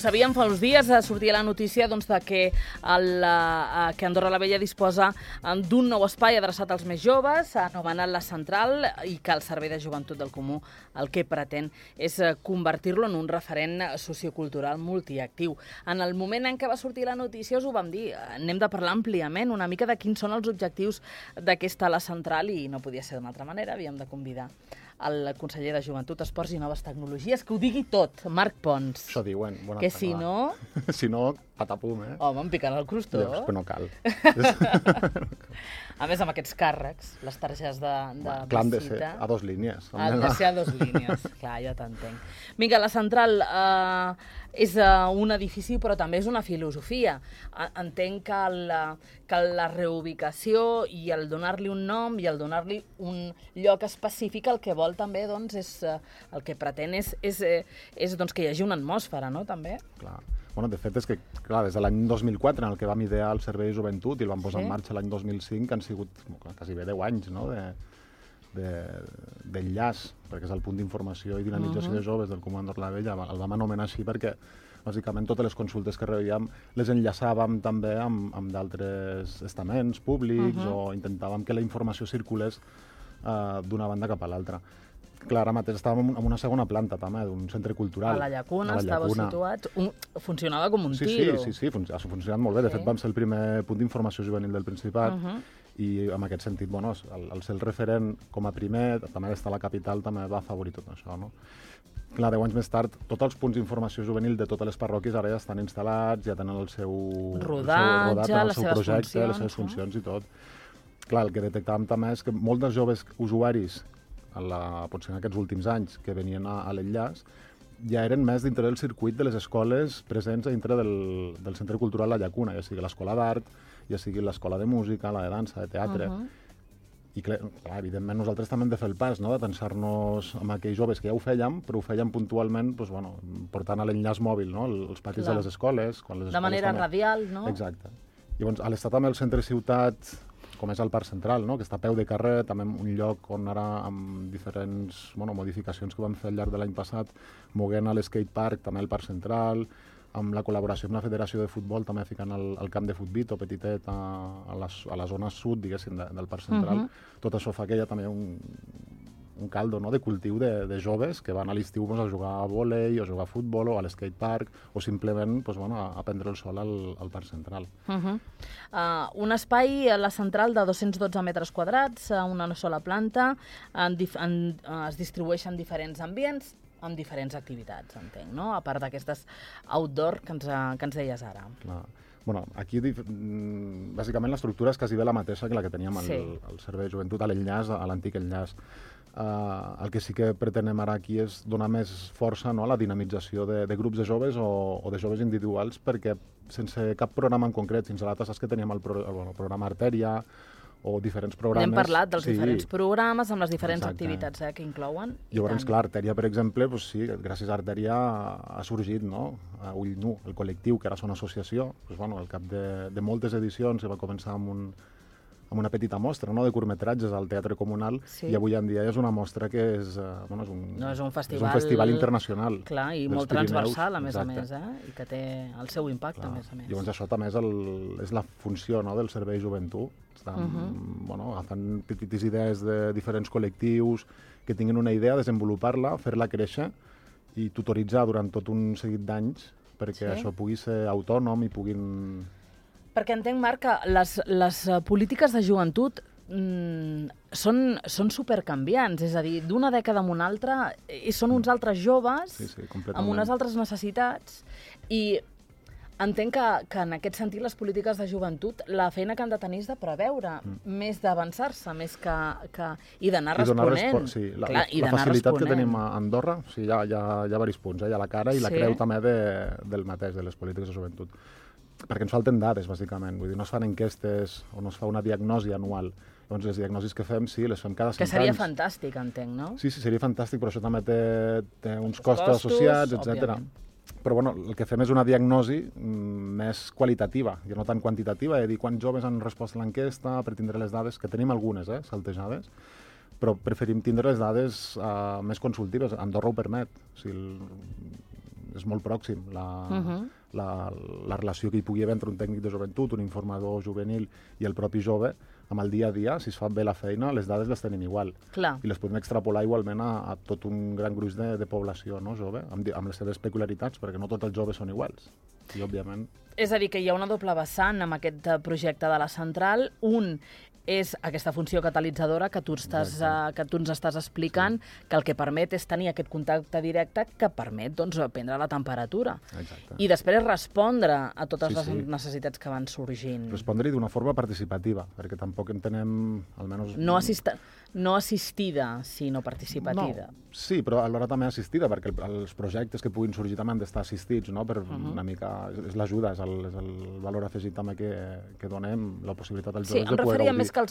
sabíem fa uns dies, sortia la notícia que Andorra la Vella disposa d'un nou espai adreçat als més joves, anomenat La Central, i que el Servei de Joventut del Comú el que pretén és convertir-lo en un referent sociocultural multiactiu. En el moment en què va sortir la notícia us ho vam dir, anem de parlar àmpliament una mica de quins són els objectius d'aquesta La Central i no podia ser d'una altra manera, havíem de convidar el conseller de Joventut, Esports i Noves Tecnologies, que ho digui tot, Marc Pons. Això diuen. Que si no... Si no, patapum, eh? Home, em piquen el crostó. Però no cal. A més, amb aquests càrrecs, les targetes de Clar, han de ser visita... a 2 línies. Han de ser a 2 línies. Clar, ja t'entenc. Vinga, La Central és un edifici, però també és una filosofia. Entenc que la reubicació i el donar-li un nom i el donar-li un lloc específic el que vol també, doncs, el que pretén és que hi hagi una atmosfera, no?, també. Clar. Bueno, de fet, és que, clar, des de l'any 2004, en el que vam idear el Servei de Joventut i el vam posar en marxa l'any 2005, han sigut quasi bé 10 anys, no?, d'enllaç, perquè és el punt d'informació i dinamització de joves del Comú Andorra la Vella. El vam anomenar així perquè, bàsicament, totes les consultes que rebíem les enllaçàvem també amb d'altres estaments públics o intentàvem que la informació circulés d'una banda cap a l'altra. Clar, ara mateix estàvem en una segona planta, també, d'un centre cultural. A la Llacuna, estava situat. Funcionava com un tiro. Sí, ha funcionat molt bé. De fet, vam ser el primer punt d'informació juvenil del Principat i en aquest sentit, bueno, el ser el referent com a primer, també d'estar a la capital, també va afavorir tot això, no? Clar, 10 anys més tard, tots els punts d'informació juvenil de totes les parròquies ara ja estan instal·lats, ja tenen el seu rodatge, les seves projecte, les seves funcions i tot. Clar, el que detectàvem també és que molts dels joves usuaris potser en aquests últims anys que venien a l'enllaç, ja eren més dintre del circuit de les escoles presents dintre del Centre Cultural La Llacuna, ja sigui l'escola d'art, ja sigui l'escola de música, la de dansa, de teatre. I clar, evidentment nosaltres també hem de fer el pas, no?, de tensar-nos amb aquells joves que ja ho fèiem, però ho fèiem puntualment, doncs, bueno, portant a l'enllaç mòbil, no?, els patis de les escoles. De manera radial, no? Exacte. Llavors, a l'estar també al centre ciutat, com és el Parc Central, no?, que està a peu de carrer, també un lloc on ara, amb diferents modificacions que vam fer al llarg de l'any passat, moguent a l'skatepark, també al Parc Central, amb la col·laboració amb la Federació de Futbol, també ficant el camp de futbit o petitet a la zona sud, diguéssim, del Parc Central. Tot això fa que hi ha també un caldo, no?, de cultiu de joves que van a l'estiu a jugar a vòlei, o a jugar a futbol, o a l'skatepark, o simplement a prendre el sol al Parc Central. Un espai a La Central de 212 metres quadrats, una sola planta, es distribueixen diferents ambients, amb diferents activitats, entenc, no?, a part d'aquestes outdoor que ens deies ara. Clar. Bueno, aquí, bàsicament, l'estructura és quasi bé la mateixa que la que teníem al Servei de Joventut, a l'enllaç, a l'antic enllaç. El que sí que pretenem ara aquí és donar més força, no?, a la dinamització de grups de joves o de joves individuals, perquè sense cap programa en concret, fins a l'altre saps que teníem el programa Artèria o diferents programes... Hem parlat dels diferents programes amb les diferents activitats que inclouen. Llavors, clar, Artèria, per exemple, sí, gràcies a Artèria ha sorgit, no?, Ull Nu, el col·lectiu, que ara és una associació, al cap de moltes edicions, que va començar amb una petita mostra, no?, de curtmetratges al Teatre Comunal, i avui en dia és una mostra que és un festival internacional. Clar, i molt transversal, a més, i que té el seu impacte, a més. Llavors això també és la funció, no?, del Servei de Joventut. Agafant petites idees de diferents col·lectius que tinguin una idea, desenvolupar-la, fer-la créixer i tutoritzar durant tot un seguit d'anys perquè això pugui ser autònom i puguin... Perquè entenc, Marc, que les polítiques de joventut són supercanviants, és a dir, d'una dècada a una altra són uns altres joves amb unes altres necessitats i entenc que en aquest sentit les polítiques de joventut la feina que han de tenir és de preveure, més d'avançar-se, més i d'anar responent. La facilitat que tenim a Andorra, hi ha diversos punts, hi ha la cara i la creu també del mateix, de les polítiques de joventut. Perquè ens falten dades, bàsicament. Vull dir, no es fan enquestes o no es fa una diagnosi anual. Llavors, les diagnosis que fem, les fem cada 5 anys. Que seria fantàstic, entenc, no? Sí, seria fantàstic, però això també té uns costos associats, etc. Però bueno, el que fem és una diagnosi més qualitativa, i no tan quantitativa, de dir quants joves han respost a l'enquesta, per tindre les dades, que tenim algunes, saltejades, però preferim tindre les dades més consultives. Andorra ho permet. O sigui, és molt pròxim la relació que hi pugui haver entre un tècnic de joventut, un informador juvenil i el propi jove, amb el dia a dia, si es fa bé la feina, les dades les tenim igual. Clar. I les podem extrapolar igualment a tot un gran gruix de població, no, jove, amb les seves peculiaritats, perquè no tots els joves són iguals. I, òbviament... És a dir, que hi ha una doble vessant amb aquest projecte de la central. Un és aquesta funció catalitzadora que tu ens estàs explicant, que el que permet és tenir aquest contacte directe que permet prendre la temperatura. Exacte. I després respondre a totes les necessitats que van sorgint. Respondre-hi d'una forma participativa, perquè tampoc entenem, almenys... No assistida, sinó participativa. No, sí, però alhora també assistida, perquè els projectes que puguin sorgir també han d'estar assistits, no? Per una mica... És l'ajuda, és el valor afegit també que donem, la possibilitat als joves de poder gaudir. Sí, em referia més que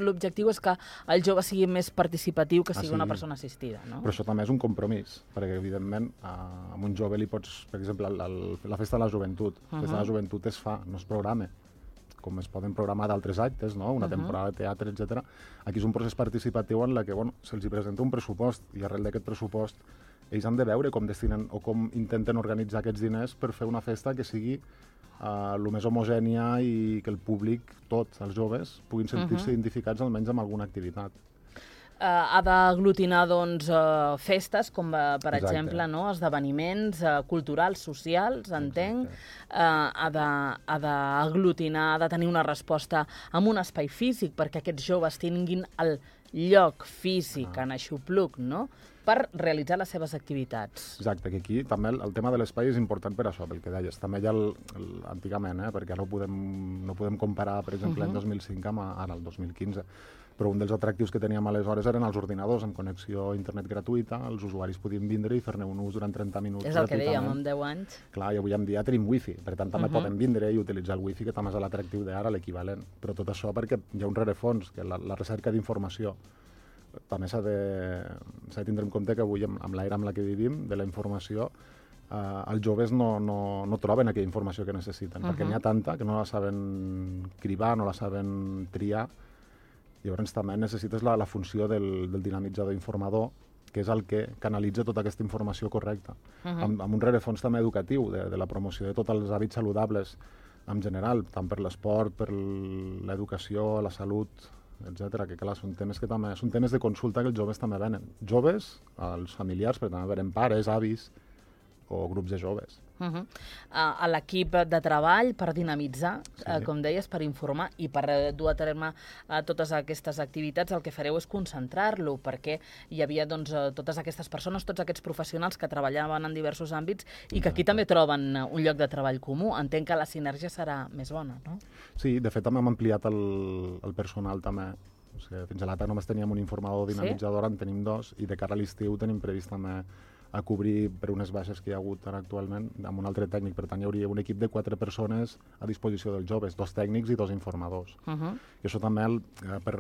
l'objectiu és que el jove sigui més participatiu que sigui una persona assistida, no? Però això també és un compromís, perquè evidentment a un jove li pots... Per exemple, la festa de la joventut. La festa de la joventut es fa, no es programa, com es poden programar d'altres actes, no? Una temporada de teatre, etc. Aquí és un procés participatiu en què se'ls presenta un pressupost i arrel d'aquest pressupost ells han de veure com destinen o com intenten organitzar aquests diners per fer una festa que sigui el més homogènia i que el públic, tots els joves, puguin sentir-se identificats almenys amb alguna activitat. Ha d'aglutinar festes, com per exemple esdeveniments culturals, socials, entenc. Ha d'aglutinar, ha de tenir una resposta amb un espai físic perquè aquests joves tinguin el lloc físic en aixopluc, no?, per realitzar les seves activitats. Exacte, que aquí també el tema de l'espai és important per això, pel que deies. També ja antigament, perquè no podem comparar, per exemple, l'any 2005 amb ara el 2015. Però un dels atractius que teníem aleshores eren els ordinadors amb connexió a internet gratuïta, els usuaris podien vindre i fer-ne un ús durant 30 minuts. És el que dèiem, amb 10 anys. Clar, i avui en dia tenim wifi, per tant també poden vindre i utilitzar el wifi, que també és l'atractiu d'ara, l'equivalent. Però tot això perquè hi ha un rerefons, que la recerca d'informació. També s'ha de tindre en compte que avui, amb l'era amb la que vivim, de la informació, els joves no troben aquella informació que necessiten, perquè n'hi ha tanta que no la saben cribar, no la saben triar. Llavors també necessites la funció del dinamitzador informador, que és el que canalitza tota aquesta informació correcta. Amb un rerefons també educatiu, de la promoció de tots els hàbits saludables en general, tant per l'esport, per l'educació, la salut, etc. Que clar, són temes de consulta que els joves també venen. Joves, els familiars, però també venen pares, avis o grups de joves. A l'equip de treball per dinamitzar, com deies, per informar i per dur a terme totes aquestes activitats, el que fareu és concentrar-lo, perquè hi havia totes aquestes persones, tots aquests professionals que treballaven en diversos àmbits i que aquí també troben un lloc de treball comú. Entenc que la sinergia serà més bona, no? Sí, de fet també hem ampliat el personal també. O sigui, fins a l'altre només teníem un informador dinamitzador, en tenim 2, i de cara a l'estiu tenim previst també a cobrir per unes baixes que hi ha hagut ara actualment amb un altre tècnic. Per tant, hi hauria un equip de 4 persones a disposició dels joves, 2 tècnics i 2 informadors. I això també per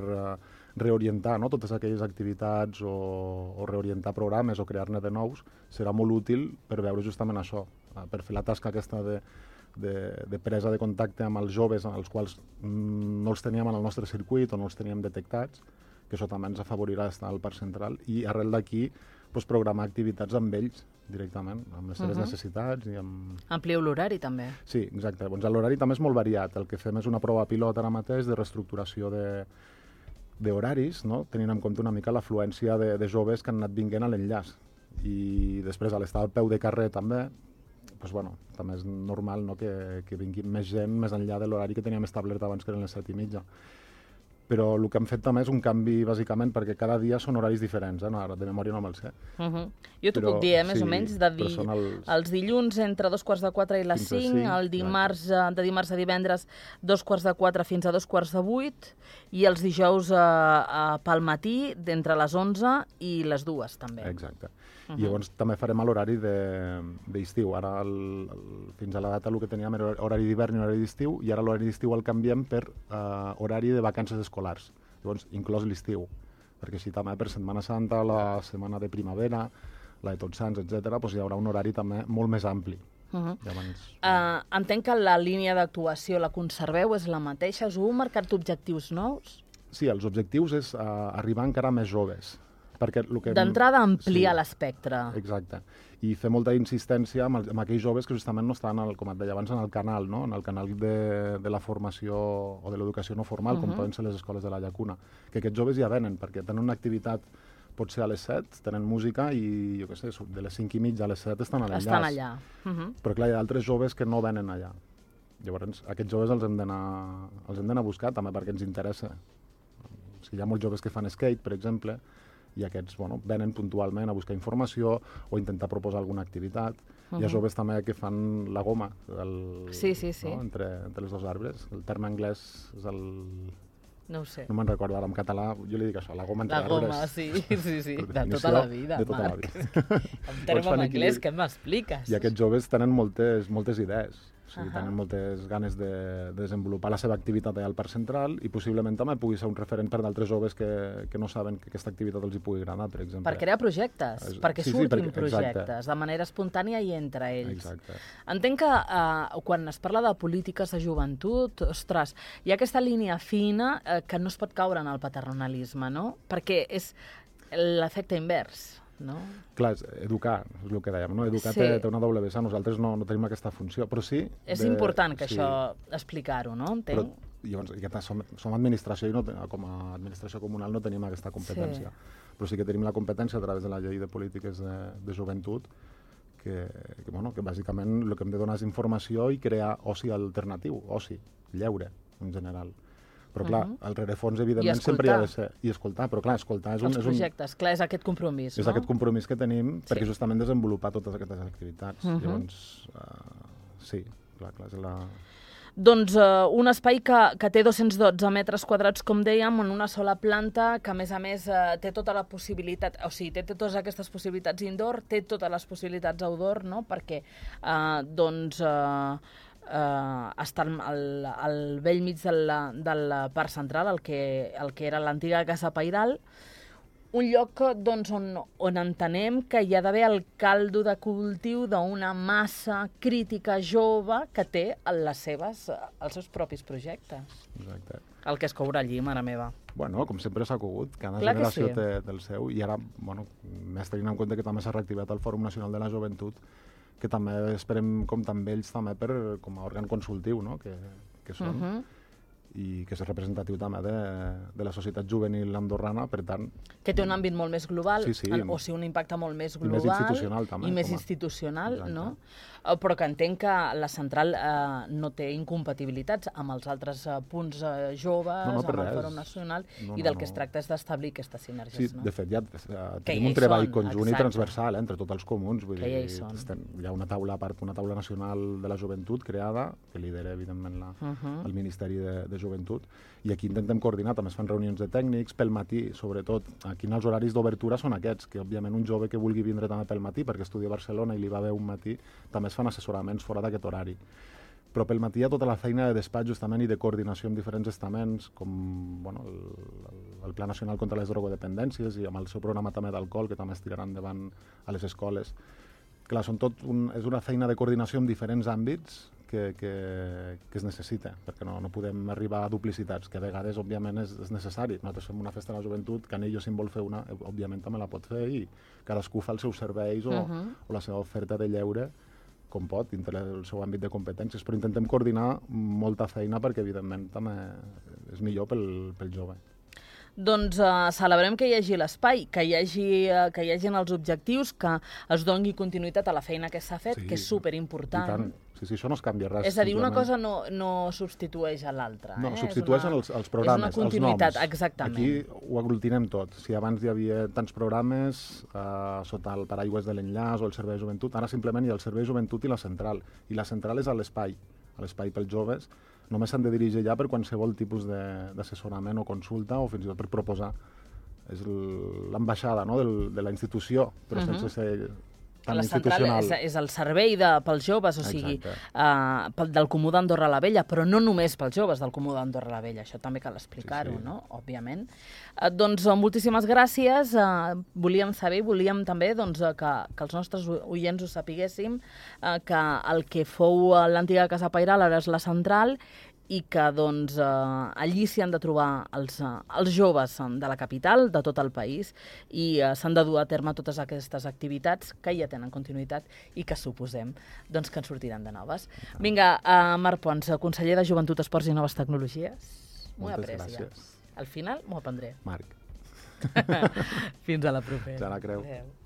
reorientar totes aquelles activitats o reorientar programes o crear-ne de nous serà molt útil per veure justament això, per fer la tasca aquesta de presa de contacte amb els joves, els quals no els teníem en el nostre circuit o no els teníem detectats, que això també ens afavorirà estar al Parc Central, i arrel d'aquí programar activitats amb ells directament, amb les seves necessitats i amb... Amplieu l'horari també. Sí, exacte. L'horari també és molt variat. El que fem és una prova pilot ara mateix de reestructuració d'horaris, tenint en compte una mica l'afluència de joves que han anat vinguent a l'enllaç. I després, a l'estar al peu de carrer també, també és normal que vingui més gent més enllà de l'horari que teníem establert abans, que eren les 7:30. Però el que hem fet també és un canvi, bàsicament, perquè cada dia són horaris diferents, ara de memòria no me'l sé. Jo t'ho puc dir, més o menys, els dilluns entre 2:45 i les 5, de dimarts a divendres 2:45 fins a 2:45, i els dijous pel matí d'entre les 11 i les 2 també. Exacte. I llavors també farem l'horari d'estiu. Ara, fins a la data, el que teníem era horari d'hivern i horari d'estiu, i ara l'horari d'estiu el canviem per horari de vacances escolars. Llavors, inclòs l'estiu, perquè així també per Setmana Santa, la setmana de primavera, la de Tots Sants, etc., hi haurà un horari també molt més ampli. Entenc que la línia d'actuació la conserveu, és la mateixa. Us heu marcat objectius nous? Sí, els objectius és arribar encara més joves, D'entrada, ampliar l'espectre. Exacte. I fer molta insistència amb aquells joves que justament no estan, com et deia abans, en el canal, no? En el canal de la formació o de l'educació no formal, com poden ser les escoles de la Llacuna. Que aquests joves ja venen, perquè tenen una activitat potser a les 7, tenen música i, jo què sé, de les 5 i mitja a les 7 estan a l'enllaç. Estan allà. Però clar, hi ha altres joves que no venen allà. Llavors, aquests joves els hem d'anar a buscar també perquè ens interessa. O sigui, hi ha molts joves que fan skate, per exemple, i aquests venen puntualment a buscar informació o intentar proposar alguna activitat. Hi ha joves també que fan la goma sí. No? Entre els dos arbres. El terme anglès és el... No ho sé. No me'n recordo ara, en català jo li dic això, la goma entre arbres. La goma, sí, de tota la vida, de tota Marc. La vida. En terme en anglès, què m'expliques? I aquests joves tenen moltes idees. O sigui, tenen moltes ganes de desenvolupar la seva activitat allà al Parc Central i possiblement també pugui ser un referent per d'altres joves que no saben que aquesta activitat els hi pugui agradar, per exemple. Per crear projectes, perquè surtin projectes, exacte. De manera espontània i entre ells. Exacte. Entenc que quan es parla de polítiques de joventut, ostres, hi ha aquesta línia fina que no es pot caure en el paternalisme, no? Perquè és l'efecte invers. No? Clar, educar, és el que dèiem, no? Educar té una doble vessant, nosaltres no tenim aquesta funció, però sí... És important que això explicar-ho, no? Entenc? Però, llavors, som administració i com a administració comunal no tenim aquesta competència, però sí que tenim la competència a través de la llei de polítiques de joventut que bàsicament el que hem de donar és informació i crear oci alternatiu, oci, lleure, en general. Però clar, el rerefons evidentment sempre hi ha de ser. I escoltar, però clar, escoltar és els projectes, clar, és aquest compromís, és aquest compromís que tenim perquè justament desenvolupar totes aquestes activitats. Llavors, sí, clar, és la... Doncs un espai que té 212 metres quadrats, com dèiem, en una sola planta, que a més té tota la possibilitat, o sigui, té totes aquestes possibilitats indoor, té totes les possibilitats outdoor, no? Perquè, està al vell mig del Parc Central, el que era l'antiga Casa Pairal, un lloc on entenem que hi ha d'haver el caldo de cultiu d'una massa crítica jove que té els seus propis projectes. Exacte. El que es courà allí, mare meva. Bueno, com sempre s'ha cogut, cada generació té del seu, i ara, més tenint en compte que també s'ha reactivat el Fòrum Nacional de la Joventut, que també esperem comptar amb ells també com a òrgan consultiu, no? que són, i que és representatiu també de la societat juvenil andorrana, per tant... Que té un àmbit molt més global, o sigui, un impacte molt més global... I més institucional, també. I més institucional, no? Però que entenc que la central no té incompatibilitats amb els altres punts joves, amb el Fòrum Nacional, i del que es tracta és d'establir aquestes sinergies. Sí, de fet, ja tenim un treball conjunt i transversal entre tots els comuns. Que ja hi són. Hi ha una taula nacional de la joventut creada, que lidera, evidentment, el Ministeri de Joventut, i aquí intentem coordinar, també es fan reunions de tècnics pel matí, sobretot. Aquí els horaris d'obertura són aquests, que òbviament un jove que vulgui vindre també pel matí, perquè estudia a Barcelona i li va bé un matí, també es fan assessoraments fora d'aquest horari. Però pel matí hi ha tota la feina de despatx justament i de coordinació amb diferents estaments, com el Pla Nacional contra les Drogodependències i amb el seu programa també d'alcohol, que també es tirarà endavant a les escoles. Clar, és una feina de coordinació en diferents àmbits que es necessita, perquè no podem arribar a duplicitats, que a vegades, òbviament, és necessari. Nosaltres fem una festa de la joventut, Canello, si en vol fer una, òbviament també la pot fer, i cadascú fa els seus serveis o la seva oferta de lleure com pot, dintre el seu àmbit de competències, però intentem coordinar molta feina perquè, evidentment, també és millor pel jove. Doncs celebrem que hi hagi l'espai, que hi hagin els objectius, que es doni continuïtat a la feina que s'ha fet, que és superimportant. Sí, això no es canvia res. És a dir, una cosa no substitueix a l'altra. No, substitueixen els programes, els noms. És una continuïtat, exactament. Aquí ho aglutinem tot. Si abans hi havia tants programes sota el paraigües de l'enllaç o el Servei de Joventut, ara simplement hi ha el Servei de Joventut i la central. I la central és a l'espai pels joves. Només s'han de dirigir ja per qualsevol tipus d'assessorament o consulta o fins i tot per proposar. És l'ambaixada de la institució, però sense ser tan institucional. La central és el servei pels joves, o sigui, del Comú d'Andorra la Vella, però no només pels joves del Comú d'Andorra la Vella, això també cal explicar-ho, no? Òbviament. Doncs moltíssimes gràcies. Volíem saber, volíem també que els nostres oients ho sapiguéssim, que el que fou l'antiga Casa Pairal ara és la central i que doncs, allí s'hi han de trobar els joves de la capital, de tot el país, i s'han de dur a terme totes aquestes activitats que ja tenen continuïtat i que suposem doncs, que en sortiran de noves. Vinga, Marc Pons, conseller de Joventut, Esports i Noves Tecnologies. Moltes gràcies. Al final m'ho aprendré. Marc. Fins a la propera. Ja la creu. Adéu.